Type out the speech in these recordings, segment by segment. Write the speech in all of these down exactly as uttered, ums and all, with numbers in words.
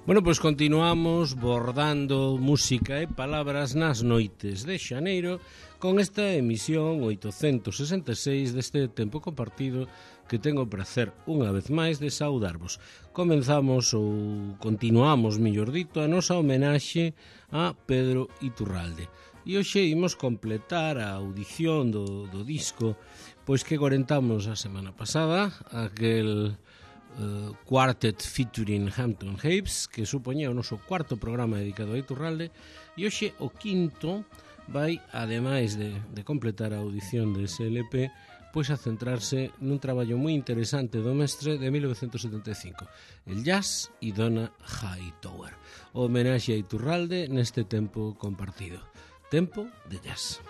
Bueno, pois continuamos bordando música e palabras nas noites de xaneiro con esta emisión oitocentos sesenta e seis deste tempo compartido que tengo o prazer unha vez máis de saudarvos. Comenzamos ou continuamos, mellor dito, a nosa homenaxe a Pedro Iturralde. E hoxe imos completar a audición do, do disco pois que corentamos a semana pasada, aquel Uh, Quartet featuring Hampton Habes, que supoñía o noso cuarto programa dedicado a Iturralde, e hoxe o quinto vai, ademais de, de completar a audición dese L P, pois a centrarse nun traballo moi interesante do mestre de mil novecentos setenta e cinco, el jazz e Donna Hightower, o homenaxe a Iturralde neste tempo compartido, tempo de jazz.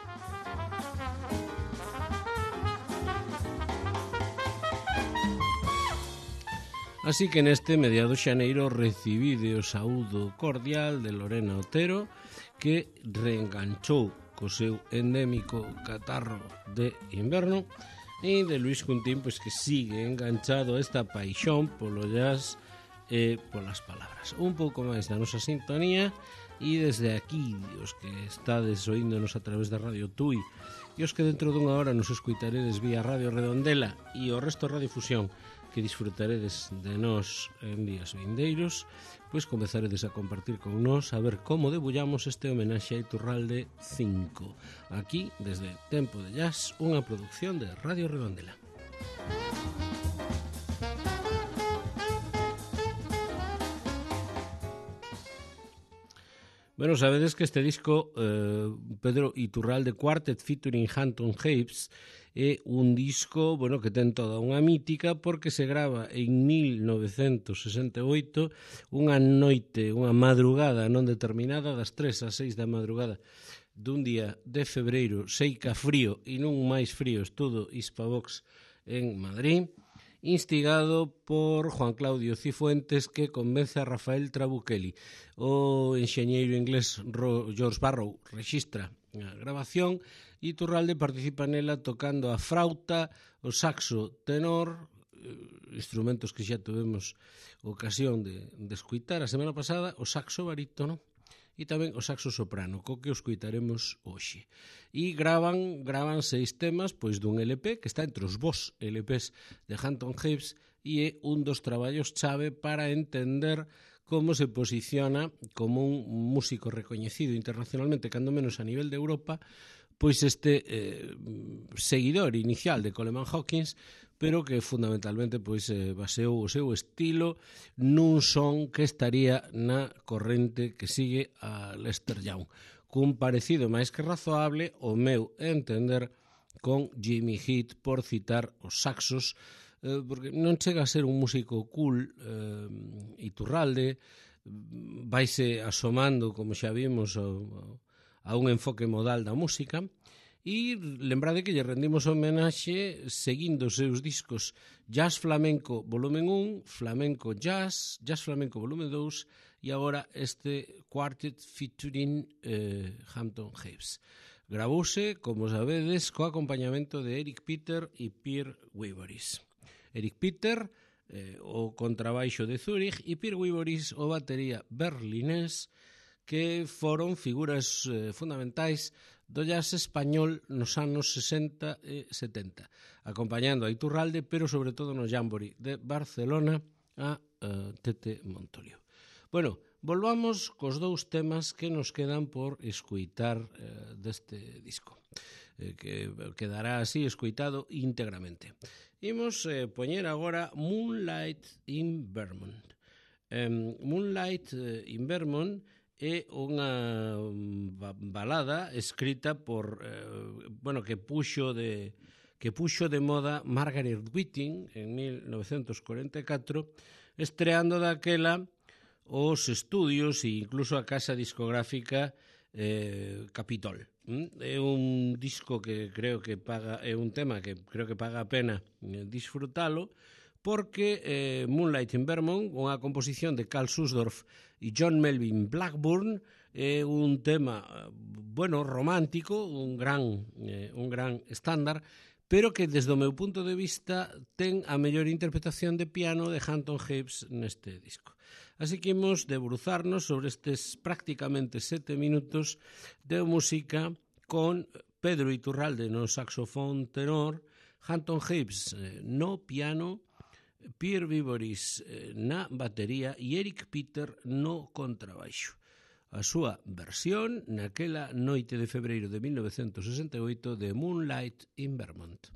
Así que neste mediado xaneiro recibide o saúdo cordial de Lorena Otero, que reenganchou co seu endémico catarro de inverno, e de Luis Cuntín, pois que sigue enganchado a esta paixón polo jazz e polas palabras. Un pouco máis da nosa sintonía, e desde aquí, os que estades oíndonos a través da Radio Tui, e os que dentro dunha hora nos escuitaredes vía Radio Redondela e o resto de Radiofusión, que disfrutaredes de nós en días vindeiros, pois comezaredes a compartir con nós a ver como debullamos este homenaxe a Iturralde cinco. Aquí, desde Tempo de Jazz, unha produción de Radio Redondela. Bueno, sabedes que este disco, eh, Pedro Iturralde Quartet featuring Hampton Habes, é un disco, bueno, que ten toda unha mítica porque se grava en mil novecentos sesenta e oito, unha noite, unha madrugada non determinada, das tres ás seis da madrugada dun día de febreiro, seica frío e non máis frío, estudo Hispavox en Madrid, instigado por Juan Claudio Cifuentes, que convence a Rafael Trabuchelli. O enxeñeiro inglés George Barrow rexistra a grabación e Iturralde participa nela tocando a frauta, o saxo tenor, instrumentos que xa tuvemos ocasión de, de escuitar a semana pasada, o saxo barítono e tamén o saxo soprano, co que os escuitaremos hoxe. E gravan, gravan seis temas pois dun L P que está entre os vos L Ps de Hampton Habes e é un dos traballos chave para entender como se posiciona como un músico recoñecido internacionalmente, cando menos a nivel de Europa, pois este eh, seguidor inicial de Coleman Hawkins, pero que fundamentalmente pois eh, baseou o seu estilo nun son que estaría na corrente que sigue a Lester Young, cun parecido máis que razoable, o meu entender, con Jimmy Heath, por citar os saxos, eh, porque non chega a ser un músico cool. eh, Iturralde vaise asomando, como xa vimos, ao, a un enfoque modal da música, e lembrade que lle rendimos homenaxe seguindo os seus discos Jazz Flamenco volumen un, Flamenco Jazz, Jazz Flamenco volumen dous e agora este Quartet featuring eh, Hampton Habes. Gravouse, como sabedes, co acompañamento de Eric Peter e Pierre Wiboris. Eric Peter, eh, o contrabaixo de Zurich, e Pierre Wiboris, o batería berlinés, que foron figuras eh, fundamentais do jazz español nos anos sesenta e setenta, acompañando a Iturralde, pero sobre todo no Jamboree de Barcelona a uh, Tete Montoliu. Bueno, volvamos cos dous temas que nos quedan por escoitar eh, deste disco, eh, que quedará así escoitado íntegramente. Imos eh, poñer agora Moonlight in Vermont. Eh, Moonlight eh, in Vermont é unha balada escrita por, eh, bueno, que puxo de que puxo de moda Margaret Whiting en mil novecentos cuarenta e catro, estreando daquela os estudios e incluso a casa discográfica eh, Capitol. É un disco que creo que paga, é un tema que creo que paga a pena disfrutalo, porque eh, Moonlight in Vermont, unha composición de Carl Susdorf e John Melvin Blackburn, é un tema, bueno, romántico, un gran, eh, un gran estándar, pero que desde o meu punto de vista ten a mellor interpretación de piano de Hampton Hapes neste disco. Así que imos debruzarnos sobre estes prácticamente sete minutos de música con Pedro Iturralde no saxofón tenor, Hampton Hapes no piano, Pierre Viboris na batería e Eric Peter no contrabaixo. A súa versión naquela noite de febreiro de mil novecentos sesenta e oito de Moonlight in Vermont.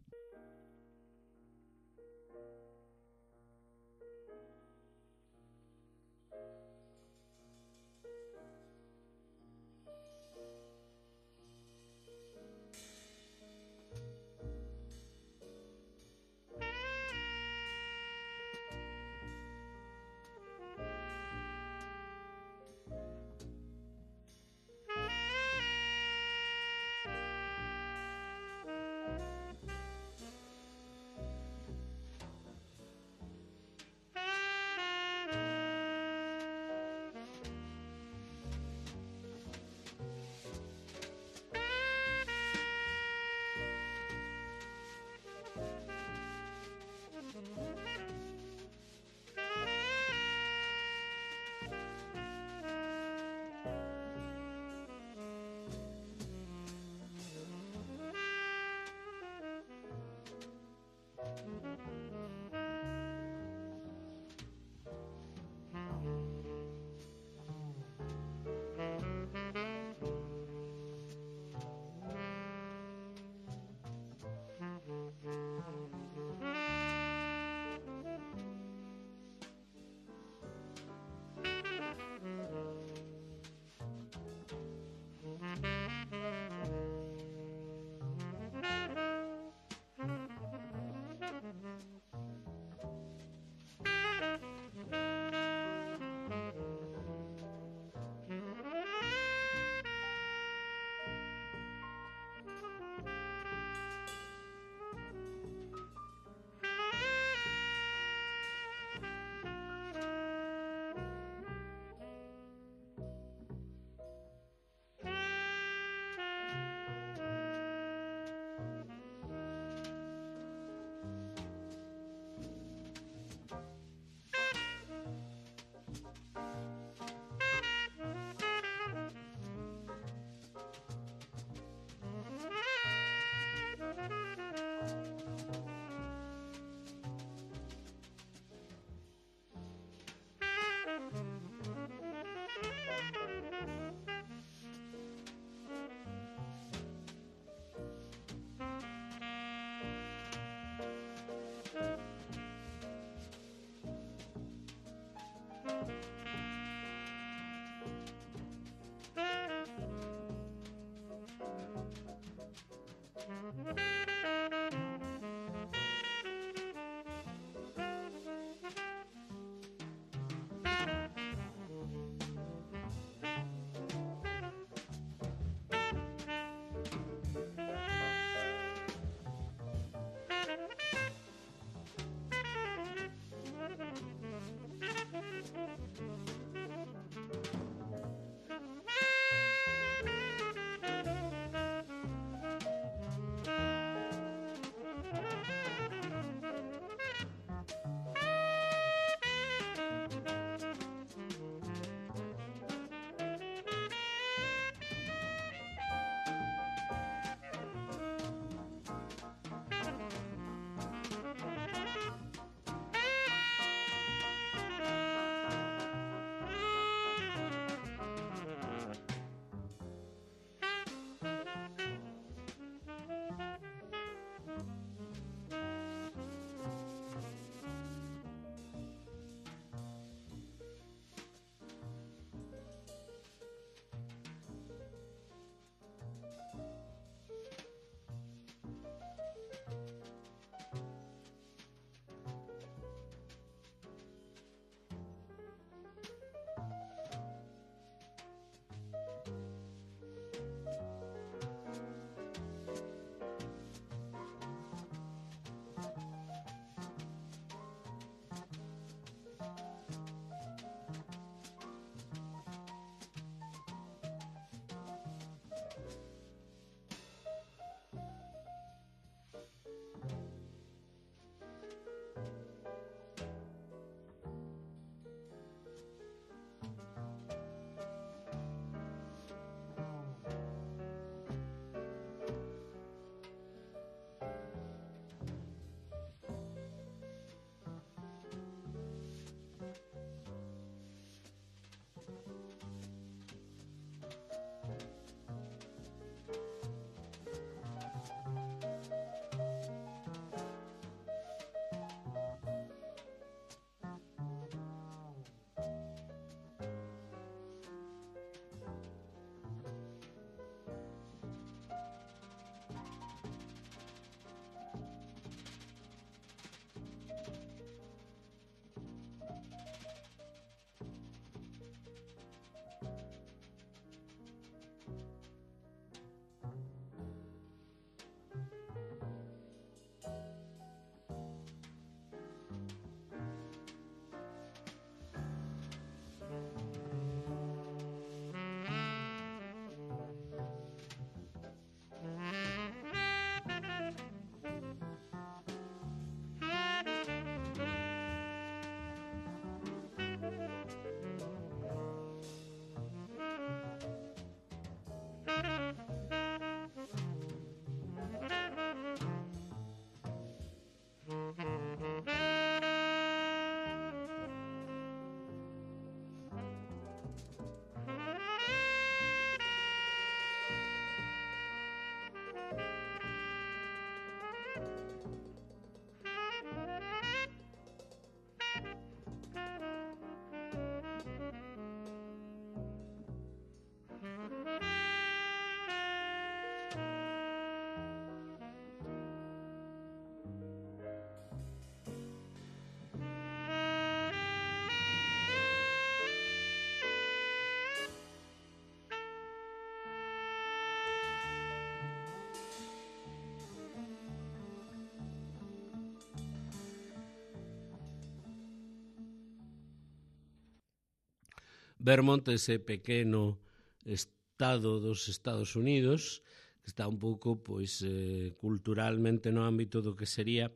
Vermont, ese pequeno estado dos Estados Unidos, que está un pouco pois, eh, culturalmente no ámbito do que sería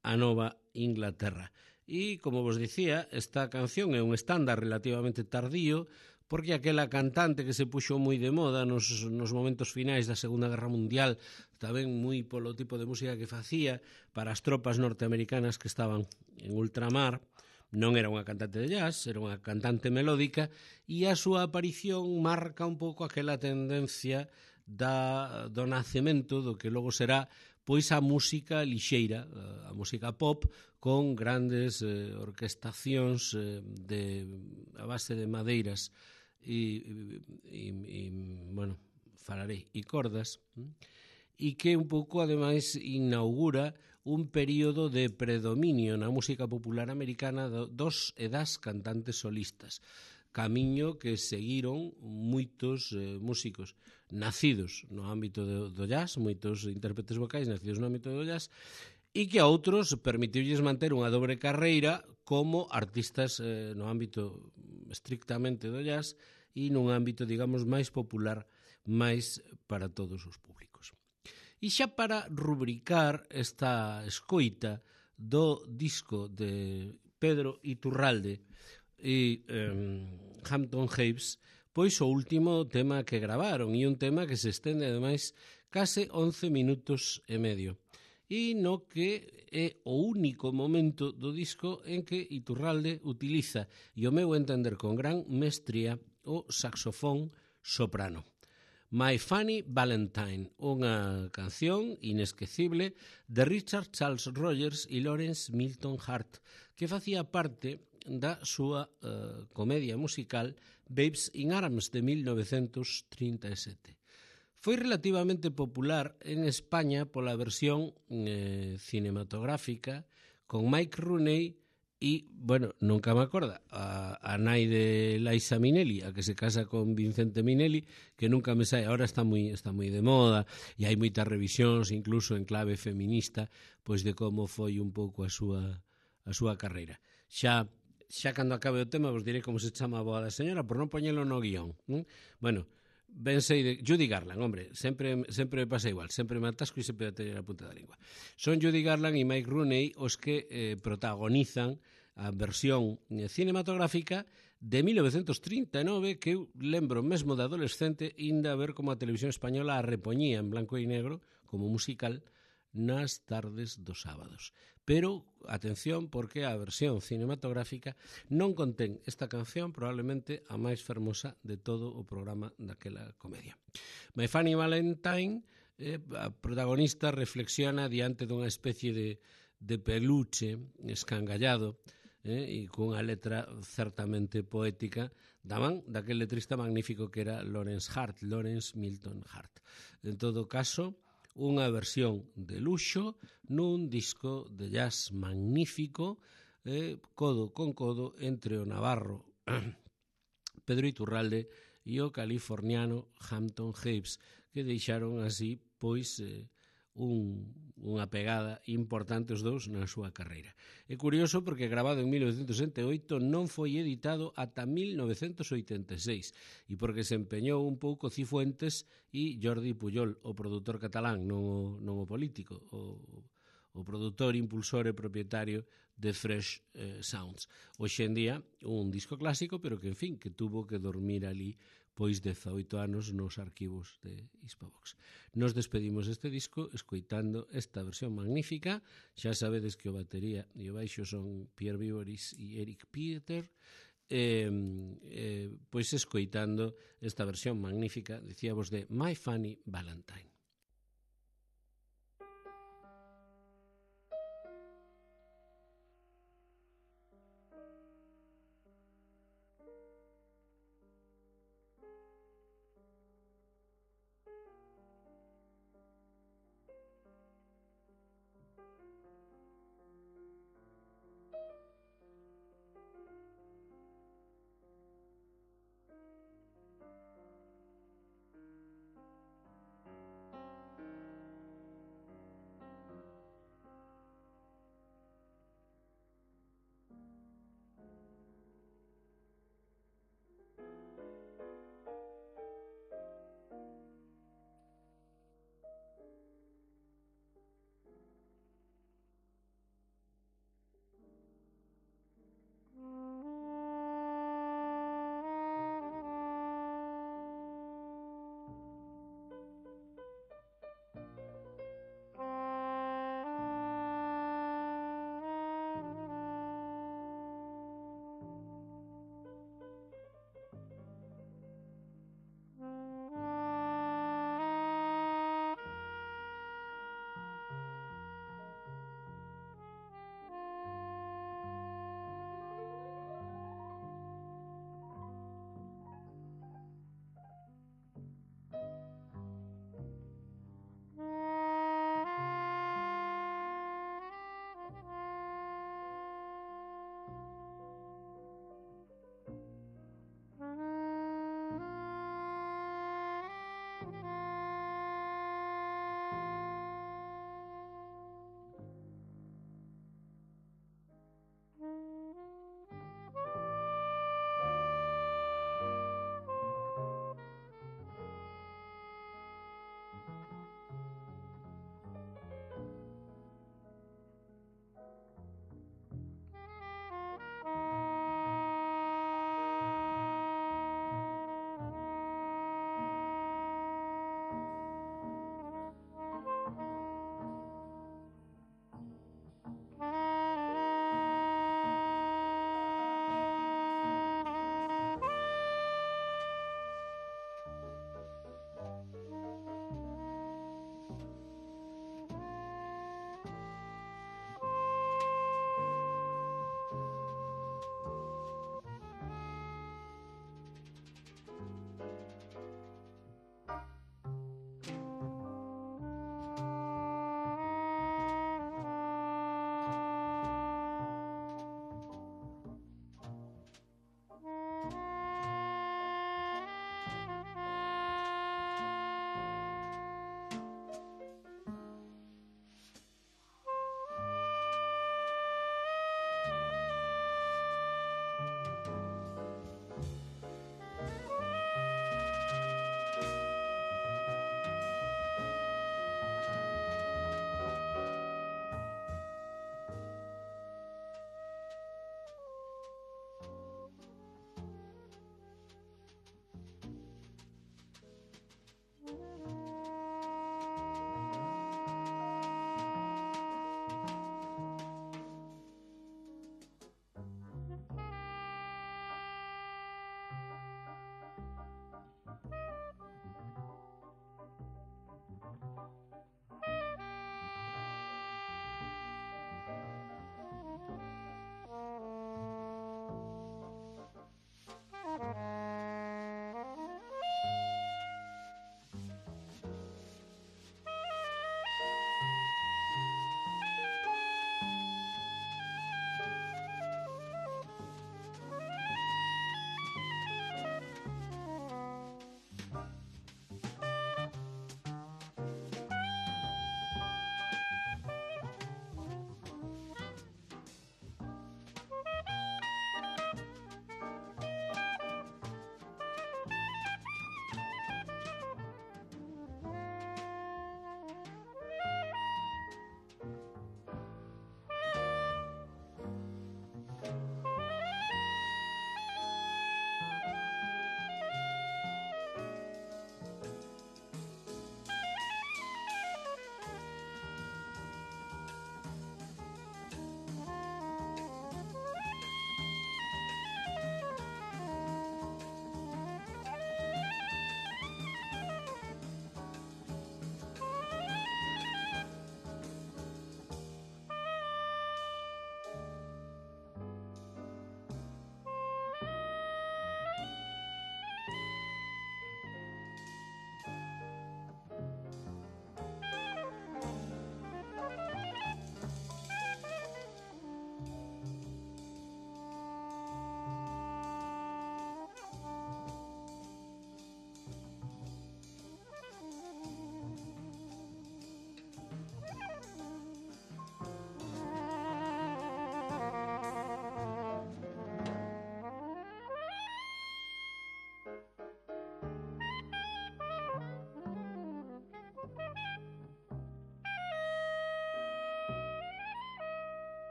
a Nova Inglaterra. E, como vos dicía, esta canción é un estándar relativamente tardío, porque aquela cantante que se puxo moi de moda nos, nos momentos finais da Segunda Guerra Mundial, tamén moi polo tipo de música que facía para as tropas norteamericanas que estaban en ultramar, non era unha cantante de jazz, era unha cantante melódica, e a súa aparición marca un pouco aquela tendencia da, do nacemento do que logo será pois a música lixeira, a música pop, con grandes eh, orquestacións eh, de, a base de madeiras e, e, e bueno, falarei, e cordas, e que un pouco, ademais, inaugura un período de predominio na música popular americana dos e das cantantes solistas, camiño que seguiron moitos eh, músicos nacidos no ámbito do, do jazz, moitos intérpretes vocais nacidos no ámbito do jazz, e que a outros permitiulles manter unha dobre carreira como artistas eh, no ámbito estrictamente do jazz e nun ámbito, digamos, máis popular, máis para todos os públicos. E xa para rubricar esta escoita do disco de Pedro Iturralde e eh, Hampton Haves, pois o último tema que gravaron, e un tema que se estende, ademais, case once minutos e medio, e no que é o único momento do disco en que Iturralde utiliza, e o meu entender con gran mestría, o saxofón soprano. My Funny Valentine, unha canción inesquecible de Richard Charles Rogers e Lawrence Milton Hart, que facía parte da súa uh, comedia musical Babes in Arms de mil novecentos trinta e sete. Foi relativamente popular en España pola versión eh, cinematográfica con Mike Rooney e, bueno, nunca me acorda, a, a nai de Liza Minnelli, a que se casa con Vincente Minnelli, que nunca me sai, ahora está moi, está moi de moda, e hai moitas revisións, incluso en clave feminista, pois de como foi un pouco a súa, a súa carreira. Xa, xa cando acabe o tema vos direi como se chama a boa da señora, por non poñelo no guión. ¿eh? Bueno, ben sei de Judy Garland, hombre, sempre, sempre me pasa igual, sempre me atasco e sempre a tener a punta da lingua. Son Judy Garland e Mike Rooney os que eh, protagonizan a versión cinematográfica de mil novecentos trinta e nove, que eu lembro mesmo de adolescente inda a ver como a televisión española a repoñía en blanco e negro como musical nas tardes dos sábados. Pero, atención, porque a versión cinematográfica non contén esta canción, probablemente a máis fermosa de todo o programa daquela comedia. My Funny Valentine, eh, a protagonista reflexiona diante dunha especie de, de peluche escangallado, eh, e cunha letra certamente poética da man daquel letrista magnífico que era Lawrence Hart, Lawrence Milton Hart. En todo caso, unha versión de luxo nun disco de jazz magnífico, eh, codo con codo entre o navarro Pedro Iturralde e o californiano Hampton Haves, que deixaron así pois eh, un, unha pegada importante os dous na súa carreira. É curioso porque grabado en mil novecentos sesenta e oito non foi editado ata mil novecentos oitenta e seis e porque se empeñou un pouco Cifuentes e Jordi Pujol, o produtor catalán, non o, non o político, o, o produtor, impulsor e propietario de Fresh eh, Sounds. Hoxe en día un disco clásico, pero que, en fin, que tuvo que dormir ali pois dezaoito anos nos arquivos de Hispavox. Nos despedimos deste disco escoitando esta versión magnífica. Xa sabedes que o batería e o baixo son Pierre Viboris e Eric Pieter, eh, eh, pois escoitando esta versión magnífica, dicíamos, de My Funny Valentine.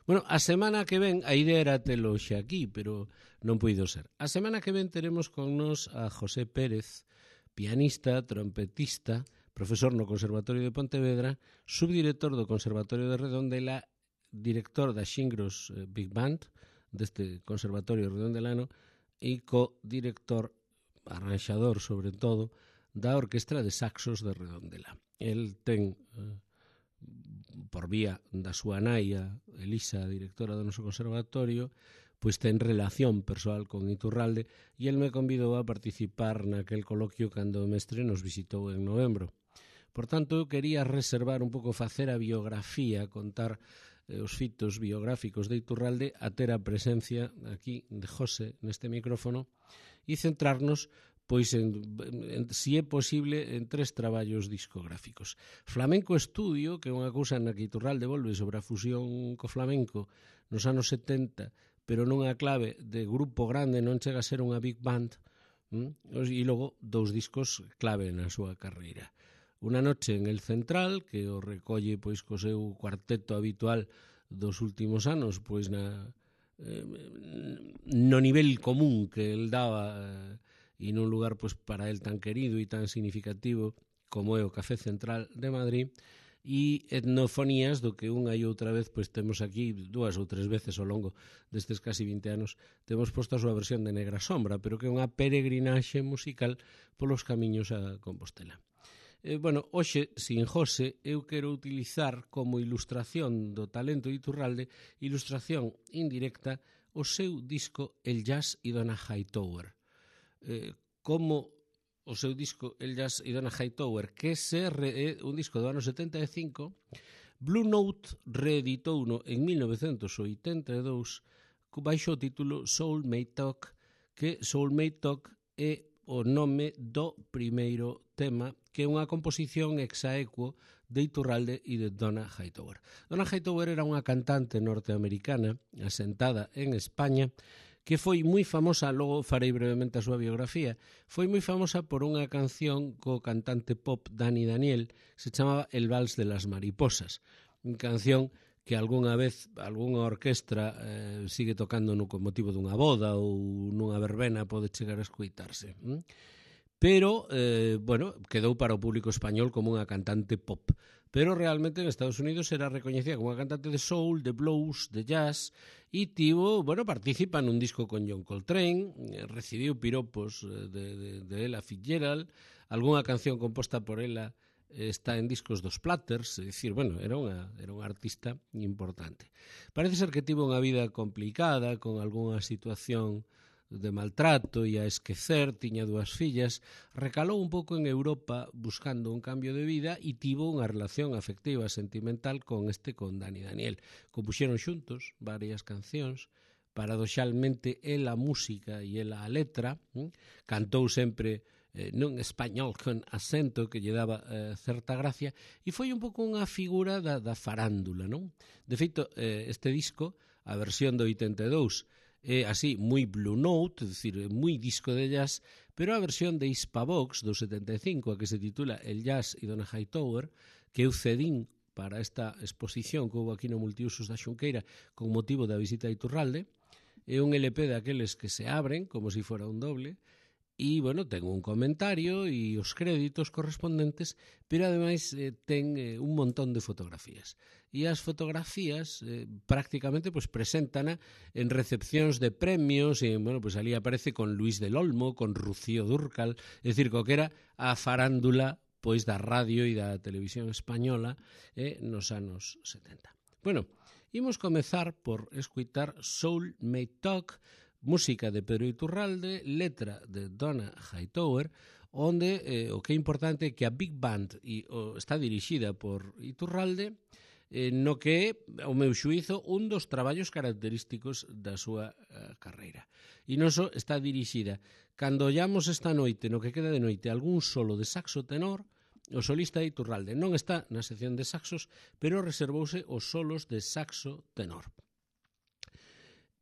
Bueno, a semana que ven, a idea era telo xa aquí, pero non puido ser. A semana que ven teremos con nos a José Pérez, pianista, trompetista, profesor no Conservatorio de Pontevedra, subdirector do Conservatorio de Redondela, director da Xingros Big Band, deste Conservatorio redondelano, e co-director, arranxador sobre todo, da Orquestra de Saxos de Redondela. El ten, por vía da súa naia, Elisa, directora do noso conservatorio, pois ten relación persoal con Iturralde e el me convidou a participar naquel coloquio cando o mestre nos visitou en novembro. Por tanto, eu quería reservar un pouco, facer a biografía, contar eh, os fitos biográficos de Iturralde, a ter a presencia aquí de José neste micrófono e centrarnos pois, en, en, si é posible, en tres traballos discográficos. Flamenco Estudio, que é unha cousa na que Iturralde volve sobre a fusión co flamenco nos anos setenta, pero nunha clave de grupo grande, non chega a ser unha big band, hm? E logo dous discos clave na súa carreira. Unha noche en El Central, que o recolle pois co seu cuarteto habitual dos últimos anos, pois na eh, no nivel común que el daba eh, e nun lugar pois para el tan querido e tan significativo como é o Café Central de Madrid, e etnofonías do que unha e outra vez pois temos aquí dúas ou tres veces ao longo destes casi vinte anos temos posto a súa versión de Negra Sombra, pero que é unha peregrinaxe musical polos camiños a Compostela. Eh, bueno, hoxe, sin José, eu quero utilizar como ilustración do talento de Iturralde, ilustración indirecta, o seu disco El Jazz e Donna Hightower. Eh, como o seu disco El Jazz e Donna Hightower, que se re, é un disco do ano setenta e cinco, Blue Note reeditouno en mil novecentos oitenta e dous baixo o título Soulmate Talk, que Soulmate Talk é o nome do primeiro tema, que é unha composición exaequo de Iturralde e de Donna Hightower. Donna Hightower era unha cantante norteamericana asentada en España, que foi moi famosa, logo farei brevemente a súa biografía, foi moi famosa por unha canción co cantante pop Dani Daniel, se chamaba El Vals de las Mariposas, unha canción que algunha vez algunha orquestra eh, sigue tocando no con motivo dunha boda ou nunha verbena pode chegar a escoitarse. ¿Mm? Pero, eh, bueno, quedou para o público español como unha cantante pop. Pero realmente en Estados Unidos era recoñecida como unha cantante de soul, de blues, de jazz, e tivo, bueno, participa nun disco con John Coltrane, recibiu piropos de, de, de Ella Fitzgerald, algunha canción composta por ela está en discos dos Platters, é dicir, bueno, era unha, era unha artista importante. Parece ser que tivo unha vida complicada, con algunha situación de maltrato e a esquecer, tiña dúas fillas, recalou un pouco en Europa buscando un cambio de vida e tivo unha relación afectiva, sentimental con este, con Dani Daniel. Compuxeron xuntos varias cancións, paradoxalmente ela a música e ela a letra, hm? Cantou sempre eh, nun español con acento que lle daba eh, certa gracia, e foi un pouco unha figura da, da farándula, non? De feito, eh, este disco, a versión do oitenta e dous, é así, moi Blue Note, é dicir, moi disco de jazz, pero a versión de Hispavox do setenta e cinco, a que se titula El Jazz e Donna Hightower, que eu cedín para esta exposición que houve aquí no Multiusos da Xunqueira con motivo da visita a Iturralde, é un L P daqueles que se abren como se fora un doble, e, bueno, ten un comentario e os créditos correspondentes, pero ademais eh, ten eh, un montón de fotografías. E as fotografías eh, prácticamente pues, preséntana en recepcións de premios, e, bueno, pues ali aparece con Luis del Olmo, con Rocío Dúrcal, é dicir, co que era a farándula pois da radio e da televisión española eh, nos anos setenta. Bueno, imos comezar por escuitar Soulmate Talk, música de Pedro Iturralde, letra de Donna Hightower, onde eh, o que é importante é que a Big Band e, o, está dirixida por Iturralde, eh, no que é, ao meu xuízo, un dos traballos característicos da súa eh, carreira. E non só está dirixida. Cando ollamos esta noite, no que queda de noite, algún solo de saxo tenor, o solista Iturralde non está na sección de saxos, pero reservouse os solos de saxo tenor.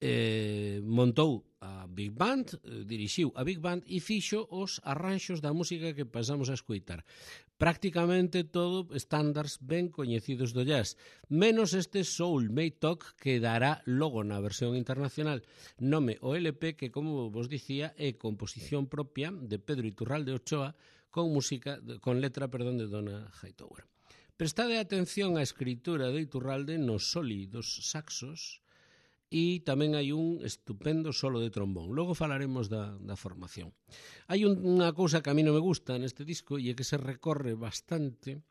Eh, montou a Big Band, eh, dirixiu a Big Band e fixo os arranxos da música que pasamos a escoitar. prácticamente todo estándares ben coñecidos do jazz, menos este Soulmate Talk que dará logo na versión internacional nome o L P que, como vos dicía, é composición propia de Pedro Iturralde Ochoa con música, con letra, perdón, de Donna Hightower. Prestade atención á escritura de Iturralde nos soli dos saxos e tamén hai un estupendo solo de trombón. Logo falaremos da, da formación. Hai un, unha cousa que a mí non me gusta neste disco e é que se recorre bastante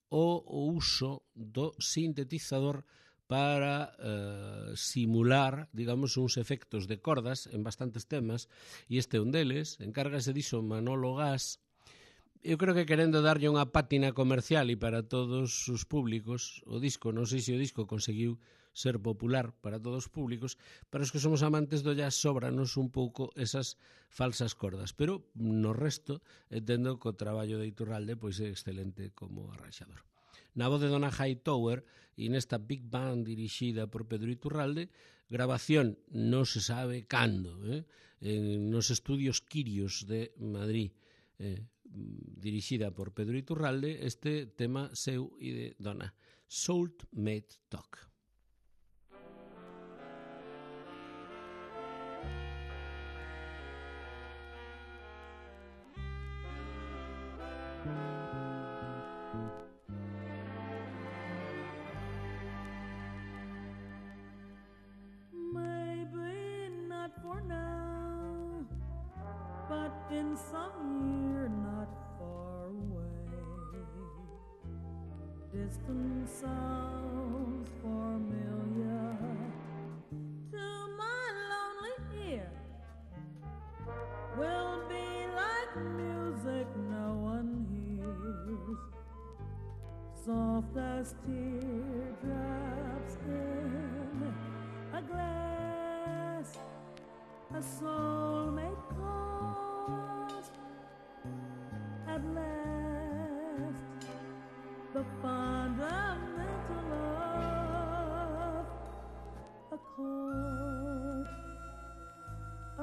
o, o uso do sintetizador para eh, simular, digamos, uns efectos de cordas en bastantes temas, e este é un deles, encárgase diso Manolo Gas. Eu creo que querendo darlle unha pátina comercial e para todos os públicos, o disco, non sei se o disco conseguiu ser popular para todos os públicos, para os que somos amantes do jazz sobranos un pouco esas falsas cordas, pero no resto, entendo que o traballo de Iturralde pois é excelente como arranxador. Na voz de Donna Hightower e nesta Big Band dirixida por Pedro Iturralde, grabación non se sabe cando, eh? en, nos estudios Quirios de Madrid, eh, dirixida por Pedro Iturralde, este tema seu e de Donna, Soulmate Talk. Maybe not for now, but in some year not far away, distant sounds familiar to my lonely ear will be like music no one hears, soft as teardrops in a glass, a soulmate calls at last, the fundamental of a chord, a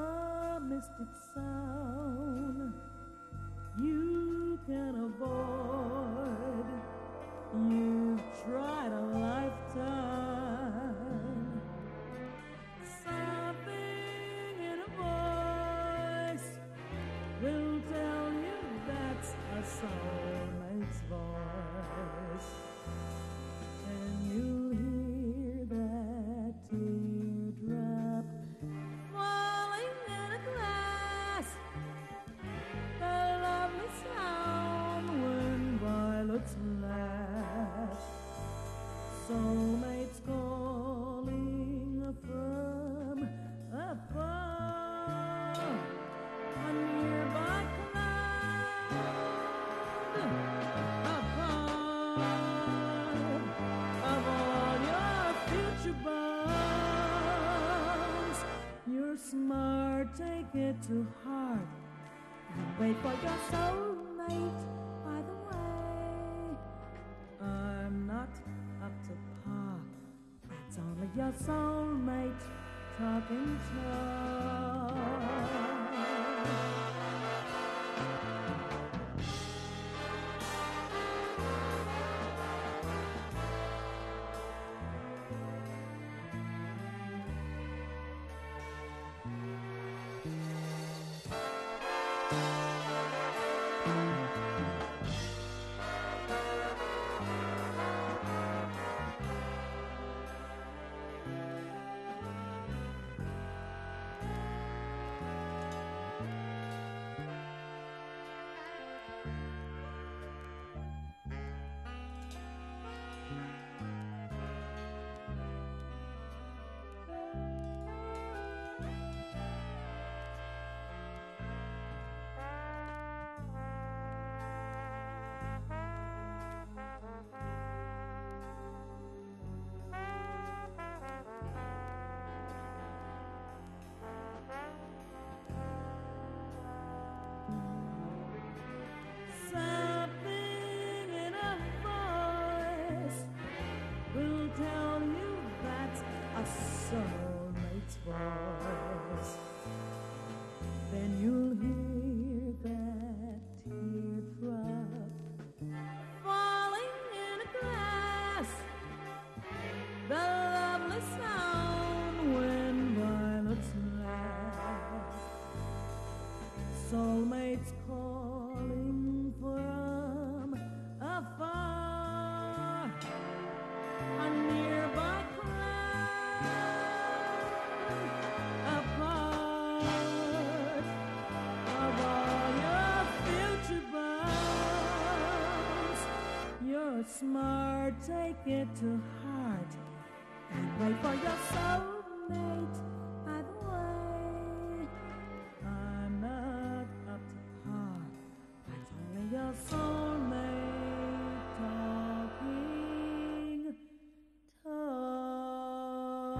mystic sound you can avoid. You've tried a lifetime. Something in a voice will tell you that's a soulmate's voice. And you'll hear that teardrop falling in a glass, the lovely sound when violets laugh. Soulmates calling from above, a nearby cloud, above, of all your future bonds. You're smart, take it to heart, and wait for your soulmate. By the way, I'm not up to par, it's only your soulmate talking talk. Something in a voice will tell you that's a soulmate's voice. Then you'll hear that teardrop smart, take it to heart, and wait for your soulmate. By the way, I'm not up to par, it's only your soulmate talking talk.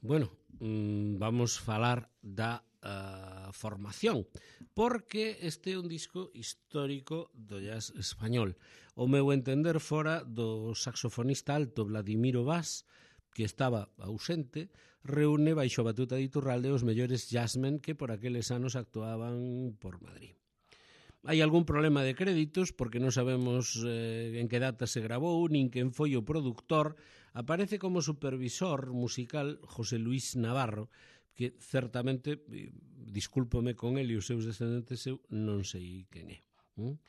Bueno, vamos falar da uh, formación, porque este é un disco histórico do jazz español. O meu entender fora do saxofonista alto Vladimiro Vaz, que estaba ausente, reúne baixo a batuta de Iturralde os mellores jazzmen que por aqueles anos actuaban por Madrid. Hai algún problema de créditos porque non sabemos eh, en que data se grabou, nin quen foi o produtor. Aparece como supervisor musical José Luis Navarro, que certamente, discúlpome con el e os seus descendentes, eu non sei quen é. ¿Mm?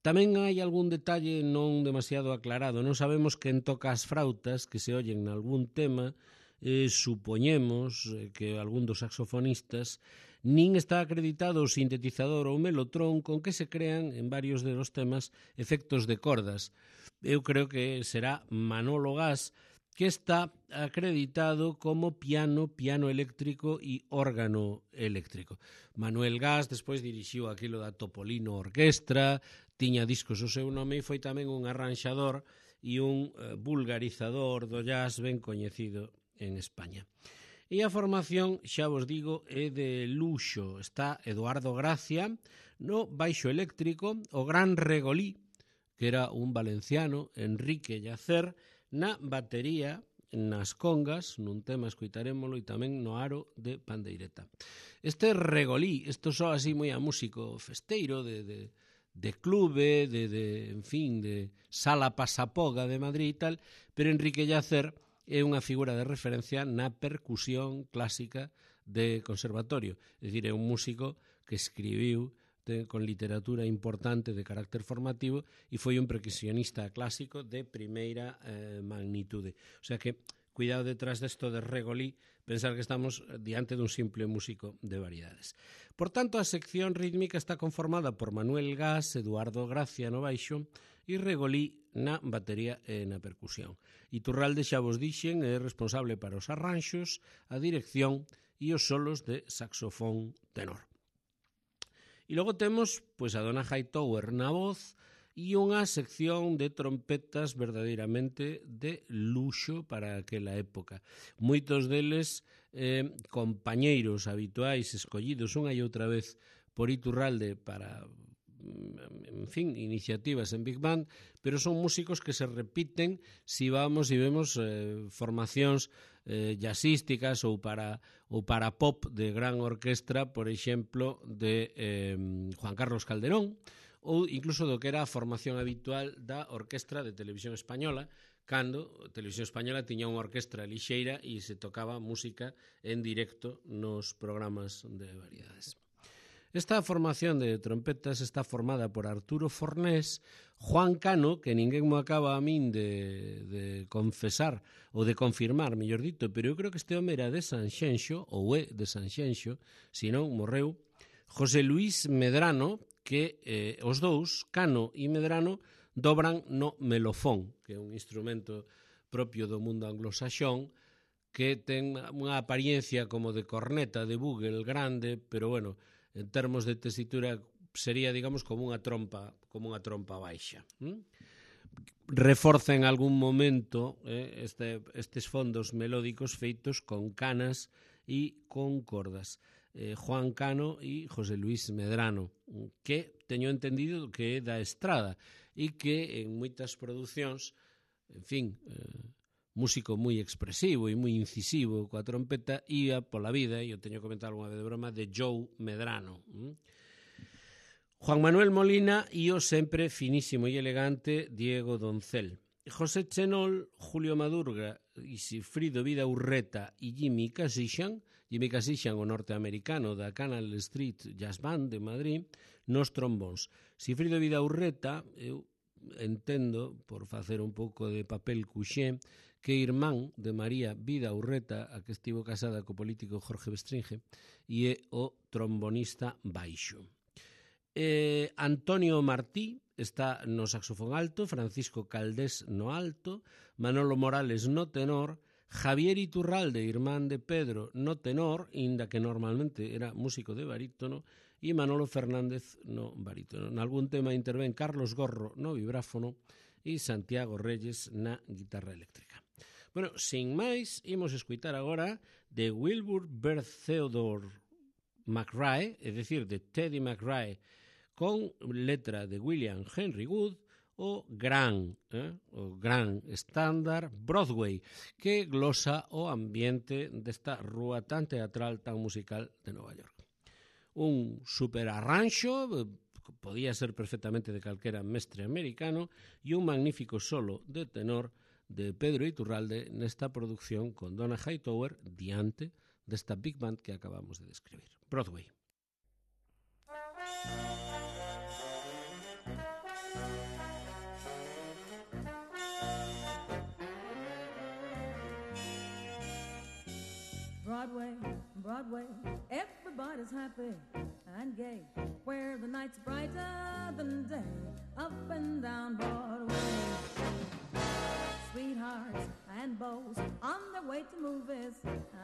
Tamén hai algún detalle non demasiado aclarado. Non sabemos quen toca as frautas que se oyen nalgún tema. Eh, supoñemos que algún dos saxofonistas, nin está acreditado o sintetizador ou melotrón con que se crean en varios de los temas efectos de cordas. Eu creo que será Manolo Gas, que está acreditado como piano, piano eléctrico e órgano eléctrico. Manuel Gas despois dirixiu aquilo da Topolino Orquestra, tiña discos o seu nome e foi tamén un arranxador e un uh, vulgarizador do jazz ben coñecido en España. E a formación, xa vos digo, é de luxo. Está Eduardo Gracia no baixo eléctrico, o gran Regolí, que era un valenciano, Enrique Yacer, na batería, nas congas, nun tema escoitarémolo, e tamén no aro de pandeireta. Este Regolí, isto só así moi a músico festeiro, de, de, de clube, de, de, en fin, de sala pasapoga de Madrid e tal, pero Enrique Yacer é unha figura de referencia na percusión clásica de conservatorio. É dicir, é un músico que escribiu de, con literatura importante de carácter formativo e foi un percusionista clásico de primeira eh, magnitude. O sea que, cuidado detrás desto de Regolí, pensar que estamos diante dun simple músico de variedades. Por tanto, a sección rítmica está conformada por Manuel Gas, Eduardo Gracia no baixo e Regolí na batería e na percusión. Iturralde, xa vos dixen, é responsable para os arranxos, a dirección e os solos de saxofón tenor. E logo temos pois, a Dona Hightower na voz e unha sección de trompetas verdadeiramente de luxo para aquela época. Moitos deles eh, compañeiros habituais escollidos unha e outra vez por Iturralde para, en fin, iniciativas en Big Band, pero son músicos que se repiten si vamos e vemos eh, formacións eh, jazzísticas ou para, ou para pop de gran orquestra, por exemplo, de eh, Juan Carlos Calderón, ou incluso do que era a formación habitual da Orquestra de Televisión Española, cando a Televisión Española tiña unha orquestra lixeira e se tocaba música en directo nos programas de variedades. Esta formación de trompetas está formada por Arturo Fornés, Juan Cano, que ninguén mo acaba a min de, de confesar ou de confirmar, mellor dito, pero eu creo que este home era de Sanxenxo, ou é de Sanxenxo, se non morreu, José Luis Medrano, que eh, os dous, Cano e Medrano, dobran no melofón, que é un instrumento propio do mundo anglosaxón, que ten unha apariencia como de corneta de bugle grande, pero bueno, en termos de tesitura sería, digamos, como unha trompa, como unha trompa baixa. ¿Mm? Reforza en algún momento eh, este, estes fondos melódicos feitos con canas e con cordas. Eh, Juan Cano e José Luis Medrano, que teño entendido que é da Estrada e que en moitas producións, en fin, eh, músico moi expresivo e moi incisivo coa trompeta, ia pola vida, e eu teño comentado unha vez de broma, de Joe Medrano. ¿Mm? Juan Manuel Molina e o sempre finísimo e elegante Diego Doncel. José Chenol, Julio Madurga e Sifrido Vida Urreta e Jimmy Casixan, Jimmy Casixan, o norteamericano da Canal Street Jazz Band de Madrid, nos trombóns. Sifrido Vida Urreta, eu entendo, por facer un pouco de papel cuxé, que é irmán de María Vida Urreta, a que estivo casada co político Jorge Bestringe, e é o trombonista baixo. Eh, Antonio Martí está no saxofón alto, Francisco Caldés no alto, Manolo Morales no tenor, Javier Iturralde, irmán de Pedro, no tenor, inda que normalmente era músico de barítono, e Manolo Fernández no barítono. Nalgún tema intervén Carlos Gorro no vibráfono e Santiago Reyes na guitarra eléctrica. Bueno, sin máis, imos escutar agora de Wilbur Bert Theodore McRae, é dicir, de Teddy McRae, con letra de William Henry Wood, o gran, eh, o gran estándar Broadway, que glosa o ambiente desta rúa tan teatral, tan musical de Nova York. Un super arranxo, podía ser perfectamente de calquera mestre americano, e un magnífico solo de tenor de Pedro Iturralde nesta producción con Donna Hightower diante desta big band que acabamos de describir. Broadway. Broadway, Broadway, everybody's happy and gay, where the night's brighter than day, up and down Broadway. Sweethearts and beaux on their way to movies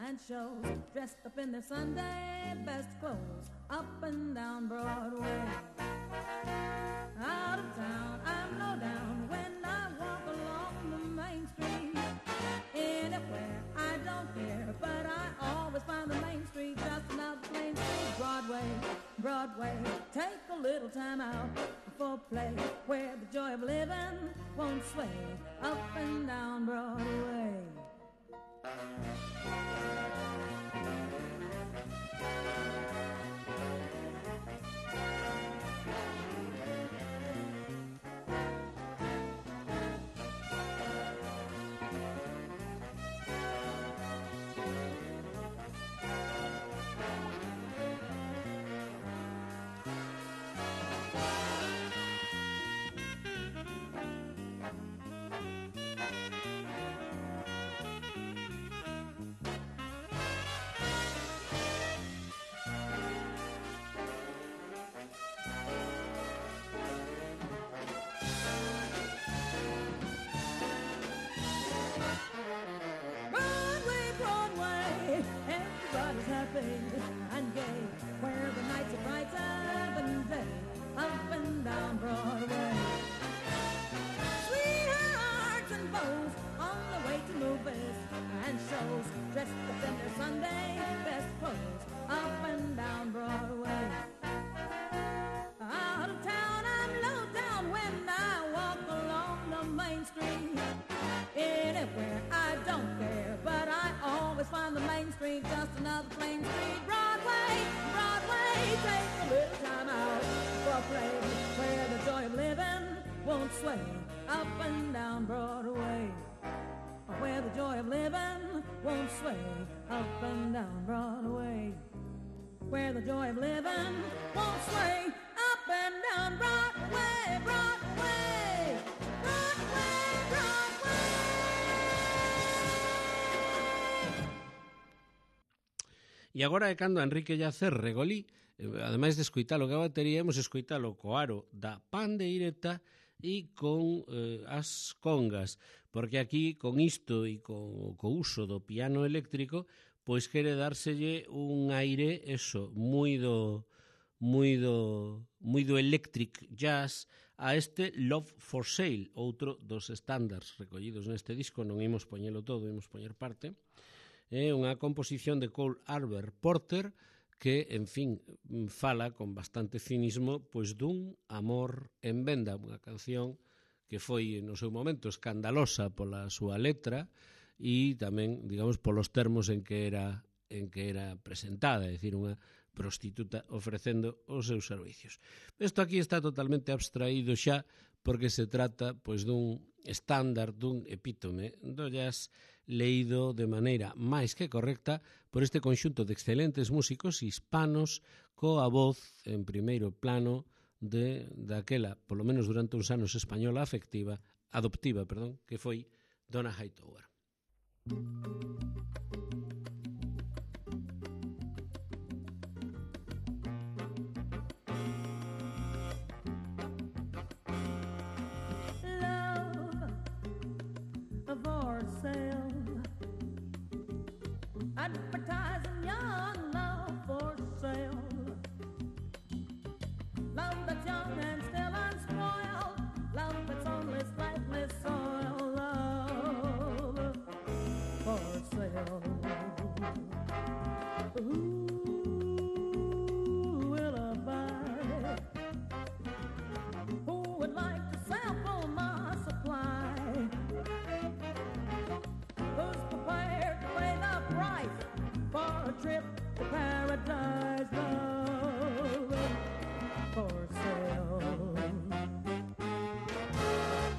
and shows, dressed up in their Sunday best clothes, up and down Broadway. Out of town, I'm low down when I walk along the main street. Anywhere, I don't care, but I always find the main street just another plain street. Broadway, Broadway, take a little time out for play, where the joy of living won't sway, up and down Broadway. And gay, where the nights are brighter than day, up and down Broadway. Sweethearts and beaux on the way to movies and shows, dressed up in their Sunday best clothes, up and down Broadway. Out of town, I'm low down when I walk along the main street. Anywhere, I don't care, but I always find the main street just another plain street. Broadway, Broadway, take a little time out for a play, where the joy of living won't sway, up and down Broadway. Where the joy of living won't sway, up and down Broadway. Where the joy of living won't sway, up and down Broadway, Broadway, Broadway, Broadway. E agora é cando Enrique Llacer Regolí, ademais de escoitalo que a batería, hemos escoitalo co aro da pandeireta e con eh, as congas, porque aquí con isto e co, co uso do piano eléctrico, pois quere dárselle un aire, eso, moi do moi do moi do electric jazz a este Love for Sale, outro dos estándares recollidos neste disco. Non imos poñelo todo, imos poñer parte. É unha composición de Cole Arbor Porter que, en fin, fala con bastante cinismo pois dun amor en venda, unha canción que foi no seu momento escandalosa pola súa letra e tamén, digamos, polos termos en que era en que era presentada, é dicir, unha prostituta ofrecendo os seus servicios. Isto aquí está totalmente abstraído xa porque se trata pois dun estándar, dun epítome do jazz leído de maneira máis que correcta por este conxunto de excelentes músicos hispanos coa voz en primeiro plano de daquela, polo menos durante uns anos, española afectiva, adoptiva, perdón, que foi Donna Hightower. Advertising young love for sale. Love that's young and still unspoiled. Love that's only slightly soiled. Love for sale. Who will I buy? Who would like to sample my supply? Who's prepared to pay the price for a trip to paradise? Love for sale.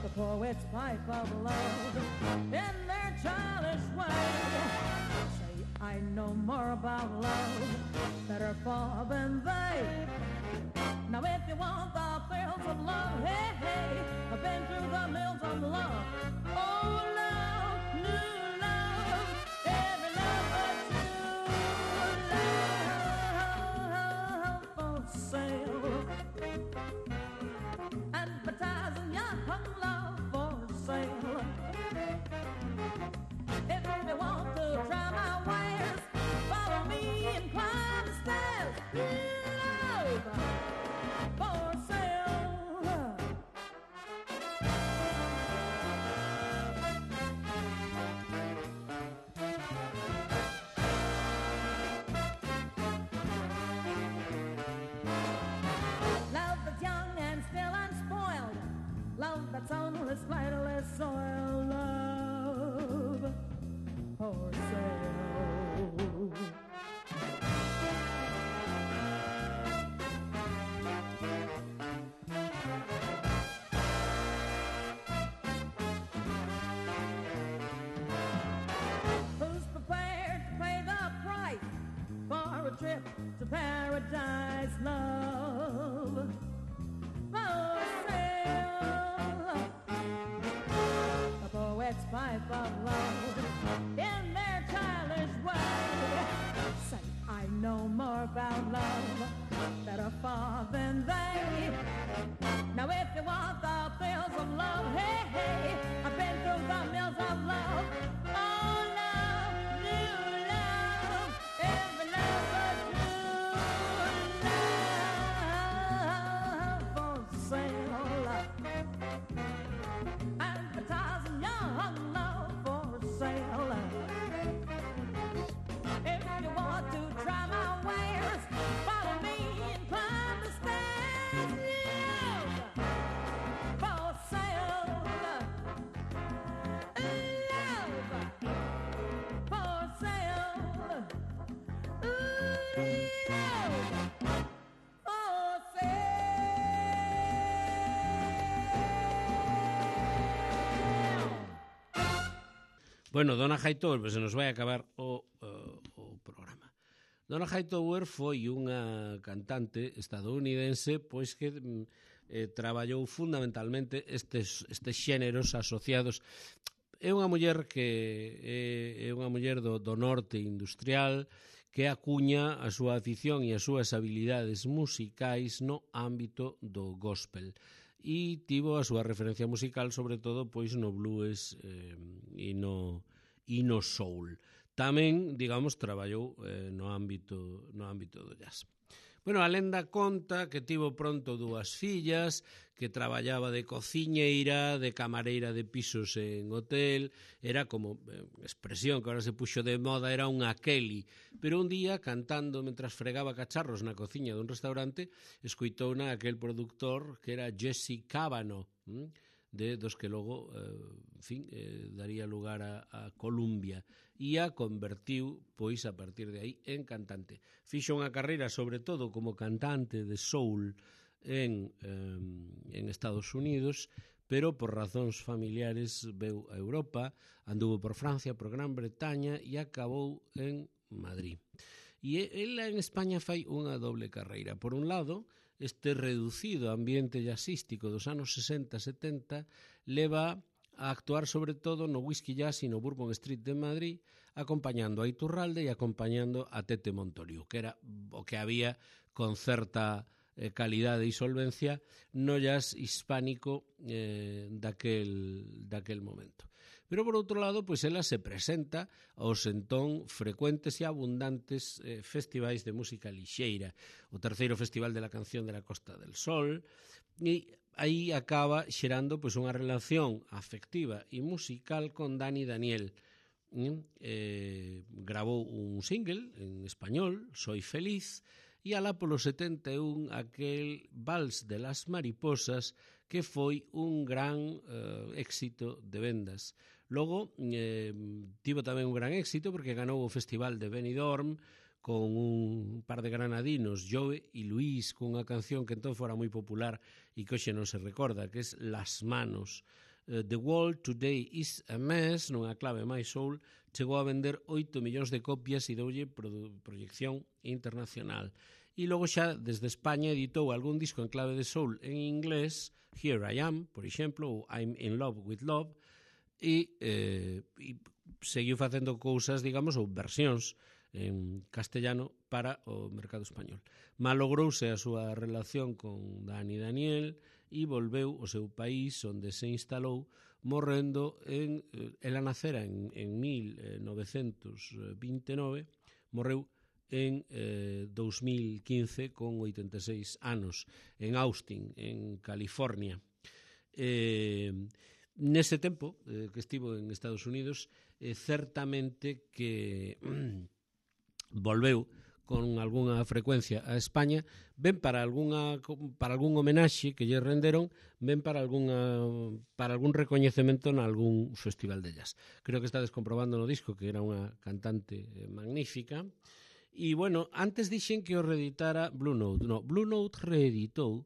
The poets pipe of love in their childish way. Say I know more about love, better far than they. Now if you want the thrills of love, hey, hey, I've been through the mills of love. Oh, love, new love, every love but true love for sale. Advertising young love for sale. If you want to try my wares, follow me and climb the stairs. Love for sale. Love that's young and still unspoiled. Love that's only slightly soiled. Love for sale. Who's prepared to pay the price for a trip to paradise? Love for sale. The poets pipe of love in their childish way. Say I know more about love, better far than they. Now if you want the thrills of love, hey, hey, I've been through the mills of love. Oh, love, new love, every love but true love for sale. Advertising young love for sale. If you want to try my wares, follow me and climb the stairs. Love for sale. Love for sale. Ooh, love for sale. Bueno, Donna Hightower, pues se nos vai acabar o, o, o programa. Donna Hightower foi unha cantante estadounidense pois que eh, traballou fundamentalmente estes, estes xéneros asociados. É unha muller que é, é unha muller do, do norte industrial que acuña a súa afición e as súas habilidades musicais no ámbito do gospel. E tivo a súa referencia musical sobre todo pois no blues eh, e no e no soul. Tamén, digamos, traballou eh, no ámbito no ámbito do jazz. Bueno, a lenda conta que tivo pronto dúas fillas, que traballaba de cociñeira, de camareira de pisos en hotel, era como, eh, expresión que ahora se puxo de moda, era unha Kelly, pero un día, cantando mentras fregaba cacharros na cociña dun restaurante, escoitouna aquel productor que era Jesse Kavanaugh, hm? de dos que logo, eh, en fin, eh, daría lugar a, a Columbia, e a convertiu, pois, a partir de aí, en cantante. Fixo unha carreira, sobre todo, como cantante de soul en, eh, en Estados Unidos, pero por razóns familiares veu a Europa, anduvo por Francia, por Gran Bretaña e acabou en Madrid. E ela en España fai unha doble carreira. Por un lado, este reducido ambiente jazzístico dos anos sesenta e setenta leva a actuar sobre todo no Whisky Jazz e no Bourbon Street de Madrid, acompañando a Iturralde e acompañando a Tete Montoliu, que era o que había con certa eh, calidade e solvencia no jazz hispánico eh, daquel, daquel momento. Pero, por outro lado, pois ela se presenta aos entón frecuentes e abundantes eh, festivais de música lixeira, o terceiro Festival de la Canción de la Costa del Sol, e aí acaba xerando pois unha relación afectiva e musical con Dani Daniel. Eh, gravou un single en español, Soy Feliz, e alá polo setenta e un aquel Vals de las Mariposas, que foi un gran eh, éxito de vendas. Logo, eh, tivo tamén un gran éxito porque ganou o Festival de Benidorm con un par de granadinos, Joe e Luis, con unha canción que entón fora moi popular e que hoxe non se recorda, que é Las Manos. Uh, The World Today is a Mess, nunha clave máis soul, chegou a vender oito millóns de copias e doulle pro proyección internacional. E logo xa, desde España, editou algún disco en clave de soul en inglés, Here I Am, por exemplo, ou I'm in Love with Love, e, eh, e seguiu facendo cousas, digamos, ou versións en castellano para o mercado español. Malogrouse a súa relación con Dani Daniel e volveu ao seu país onde se instalou, morrendo en... Ela nacera en, en mil novecentos vinte e nove, morreu en eh, dos mil quince con oitenta e seis anos en Austin, en California. Eh, nese tempo eh, que estivo en Estados Unidos, eh, certamente que volveu con algunha frecuencia a España, ben para algunha para algún homenaxe que lle renderon, ben para algunha para algún recoñecemento en algún festival de jazz. Creo que estades comprobando no disco que era unha cantante magnífica. E, bueno, antes dixen que o reeditara Blue Note. No, Blue Note reeditou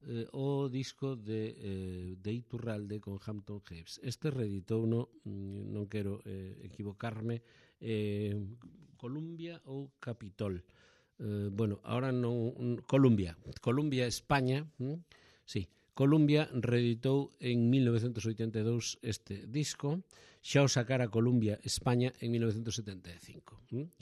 eh, o disco de, eh, de Iturralde con Hampton Heaps. Este reeditou, no, non quero eh, equivocarme, eh, Columbia ou Capitol. Eh, bueno, ahora non... Columbia. Columbia, España. ¿Mm? Sí, Columbia reeditou en mil novecentos oitenta e dous este disco. Xa o sacara Columbia, España, en mil novecentos setenta e cinco. ¿Mm?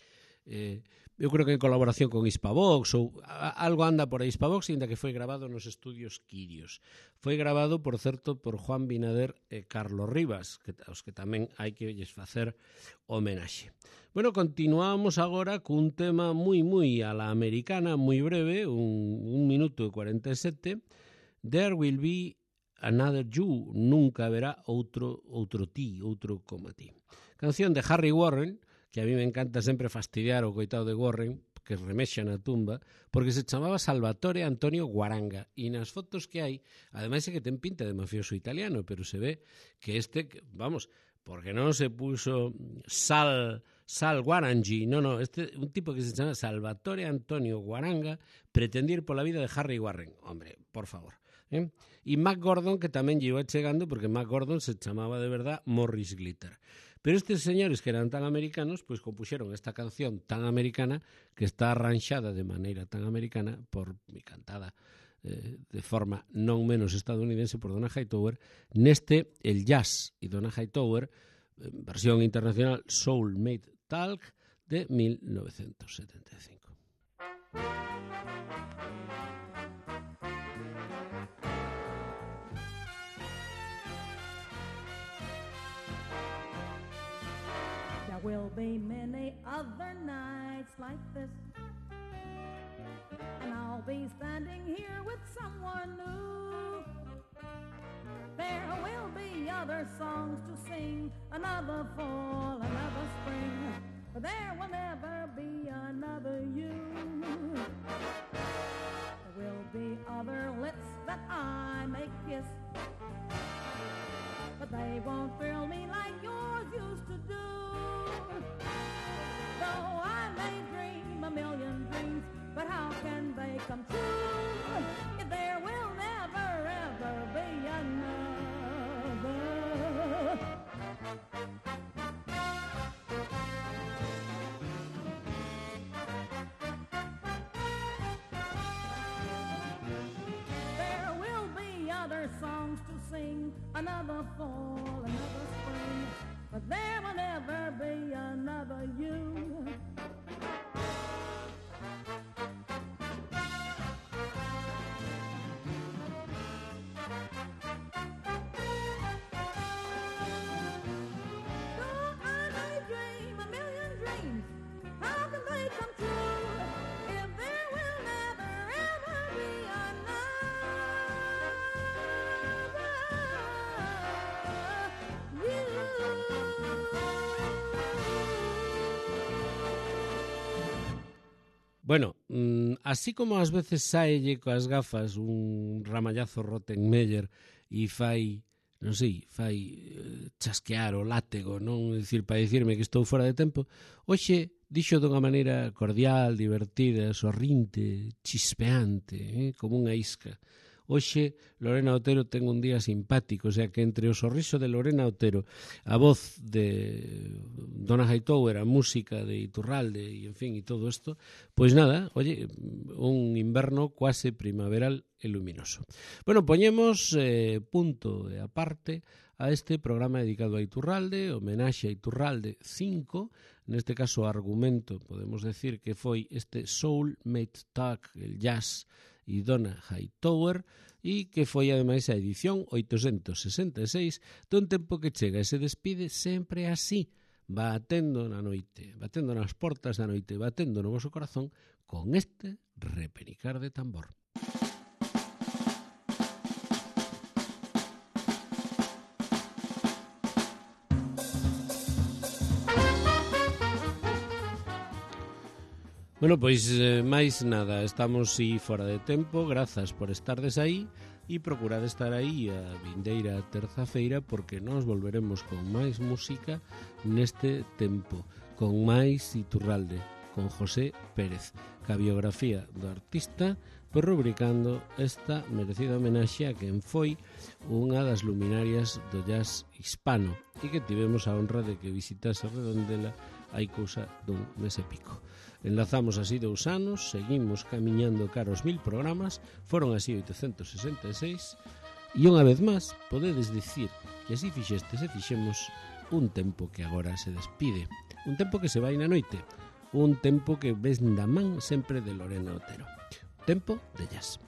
Eh, eu creo que en colaboración con Hispavox ou a, algo anda por aí Hispavox, ainda que foi grabado nos estudios Quirios. Foi grabado, por certo, por Juan Binader e Carlos Rivas, que, aos que tamén hai que lles facer homenaxe. Bueno, continuamos agora cun tema moi, moi a la americana, moi breve, un, un minuto e cuarenta e sete. There will be another you, nunca haberá outro, outro ti, outro como ti. Canción de Harry Warren, que a mí me encanta sempre fastidiar o coitado de Warren, que remexa na tumba, porque se chamaba Salvatore Antonio Guaranga, e nas fotos que hai, ademais é que ten pinta de mafioso italiano, pero se ve que este, vamos, porque non se puso Sal, Sal Guarangi, no, no, este un tipo que se chama Salvatore Antonio Guaranga, pretendir pola vida de Harry Warren, hombre, por favor. ¿Eh? E Mac Gordon, que tamén lle iba chegando, porque Mac Gordon se chamaba de verdad Morris Glitter. Pero estes señores que eran tan americanos, pois compuxeron esta canción tan americana, que está arranxada de maneira tan americana por mi cantada eh, de forma non menos estadounidense por Donna Hightower, neste El Jazz e Donna Hightower, eh, versión internacional Soul Made Talk de mil novecentos setenta e cinco. Will be many other nights like this, and I'll be standing here with someone new. There will be other songs to sing, another fall, another spring, but there will never be another you. There will be other lips that I may kiss, but they won't thrill me like yours used to do. Though I may dream a million dreams, but how can they come true if there will never ever be another? another fall, another spring, but there will never be another you. Bueno, así como ás veces saelle coas gafas un ramallazo Rottenmeier e fai, non sei, fai chasquear o látego, non? É dicir, para dicirme que estou fora de tempo, hoxe dixo dunha maneira cordial, divertida, sorrinte, chispeante, eh? como unha isca. Hoxe Lorena Otero ten un día simpático, o sea que entre o sorriso de Lorena Otero, a voz de Donna Hightower, a música de Iturralde e en fin, e todo isto, pois nada, oye, un inverno quase primaveral e luminoso. Bueno, poñemos eh, punto e aparte a este programa dedicado a Iturralde, homenaxe a Iturralde cinco, neste caso argumento, podemos decir que foi este Soulmate Talk, el jazz e Donna Hightower, e que foi ademais a edición oitocentos sesenta e seis dun tempo que chega e se despide sempre así, batendo na noite, batendo nas portas da noite, batendo no voso corazón con este repenicar de tambor. Bueno, pois eh, máis nada, estamos si fora de tempo, grazas por estardes aí e procurad estar aí a vindeira terza-feira porque nos volveremos con máis música neste tempo, con máis Iturralde, con José Pérez, ca biografía do artista, por rubricando esta merecida homenaxe a quen foi unha das luminarias do jazz hispano e que tivemos a honra de que visitase Redondela hai cousa dun mes e pico. Enlazamos así dous anos, seguimos camiñando cara aos mil programas, foron así oitocentos sesenta e seis, e unha vez máis podedes dicir que así fixestes e fixemos un tempo que agora se despide, un tempo que se vai na noite, un tempo que ves da man sempre de Lorena Otero, tempo de jazz.